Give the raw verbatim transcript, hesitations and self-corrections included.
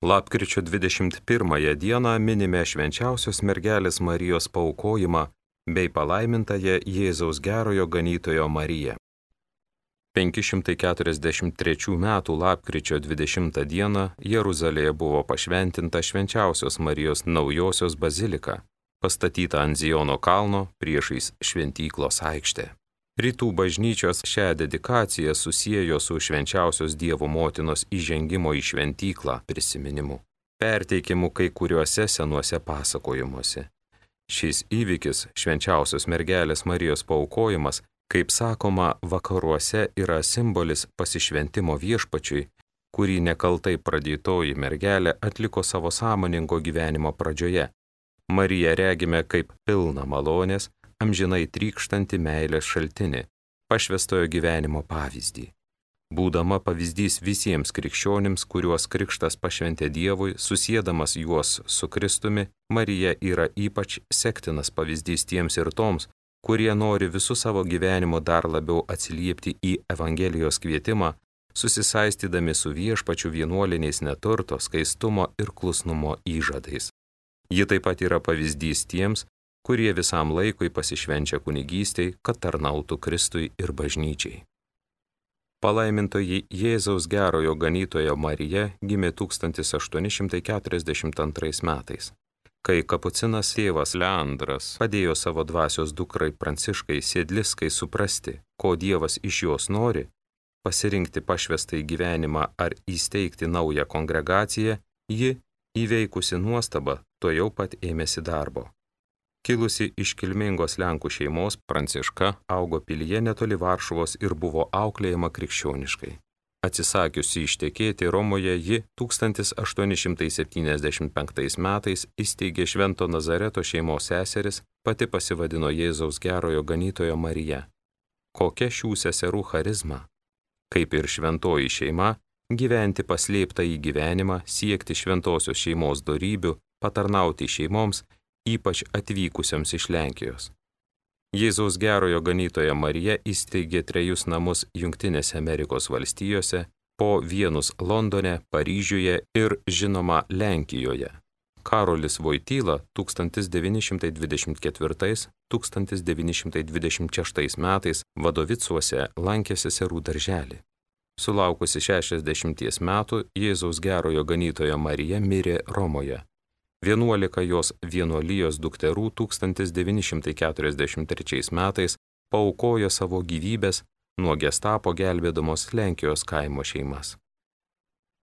Lapkričio dvidešimt pirmąją dieną minime švenčiausios mergelės Marijos paaukojimą bei palaimintąją Jėzaus gerojo ganytojo Mariją. penki šimtai keturiasdešimt trečių metų lapkričio dvidešimtą dieną Jeruzalėje buvo pašventinta švenčiausios Marijos naujosios bazilika, pastatyta ant Ziono kalno priešais šventyklos aikštę. Rytų bažnyčios šią dedikaciją susiejo su švenčiausios Dievo motinos įžengimo į šventyklą prisiminimu, perteikimu kai kuriuose senuose pasakojimuose. Šis įvykis, švenčiausios mergelės Marijos paaukojimas, kaip sakoma, vakaruose yra simbolis pasišventimo viešpačiui, kurį nekaltai pradėtoji mergelė atliko savo sąmoningo gyvenimo pradžioje. Mariją regime kaip pilną malonės, amžinai trykštantį meilės šaltinį, pašvęstojo gyvenimo pavyzdį. Būdama pavyzdys visiems krikščionims, kuriuos krikštas pašventė Dievui, susiedamas juos su Kristumi, Marija yra ypač sektinas pavyzdys tiems ir toms, kurie nori visų savo gyvenimo dar labiau atsiliepti į Evangelijos kvietimą, susisaistydami su viešpačiu vienuoliniais neturto, skaistumo ir klusnumo įžadais. Ji taip pat yra pavyzdys tiems, kurie visam laikui pasišvenčia kunigystei, kad tarnautų Kristui ir bažnyčiai. Palaimintoji Jėzaus gerojo ganytojo Marija gimė tūkstantis aštuoni šimtai keturiasdešimt antrais metais. Kai kapucinas tėvas Leandras padėjo savo dvasios dukrai Pranciškai Sėdliskai suprasti, ko Dievas iš jos nori, pasirinkti pašvęstąjį gyvenimą ar įsteigti naują kongregaciją, ji, įveikusi nuostabą, tuojau pat ėmėsi darbo. Kilusi iš kilmingos Lenkų šeimos, Pranciška augo pilyje netoli Varšuvos ir buvo auklėjama krikščioniškai. Atsisakiusi ištekėti Romoje, ji tūkstantis aštuoni šimtai septyniasdešimt penktais metais įsteigė Švento Nazareto šeimos seseris, pati pasivadino Jėzaus gerojo ganytojo Marija. Kokia šių seserų charizma? Kaip ir šventoji šeima, gyventi paslėptą į gyvenimą, siekti šventosios šeimos dorybių, patarnauti šeimoms, ypač atvykusiams iš Lenkijos. Jėzaus gerojo ganytoja Marija įsteigė trejus namus Jungtinėse Amerikos valstijose, po vienus Londone, Paryžiuje ir, žinoma, Lenkijoje. Karolis Voityla tūkstantis devyni šimtai dvidešimt ketvirtais - tūkstantis devyni šimtai dvidešimt šeštais metais Vadovicuose lankė seserų darželį. Sulaukusi šešiasdešimties metų, Jėzaus gerojo ganytoja Marija mirė Romoje. Vienuolika jos vienuolijos dukterų tūkstantis devyni šimtai keturiasdešimt trečiais metais paaukojo savo gyvybes nuo gestapo gelbėdamos Lenkijos kaimo šeimas.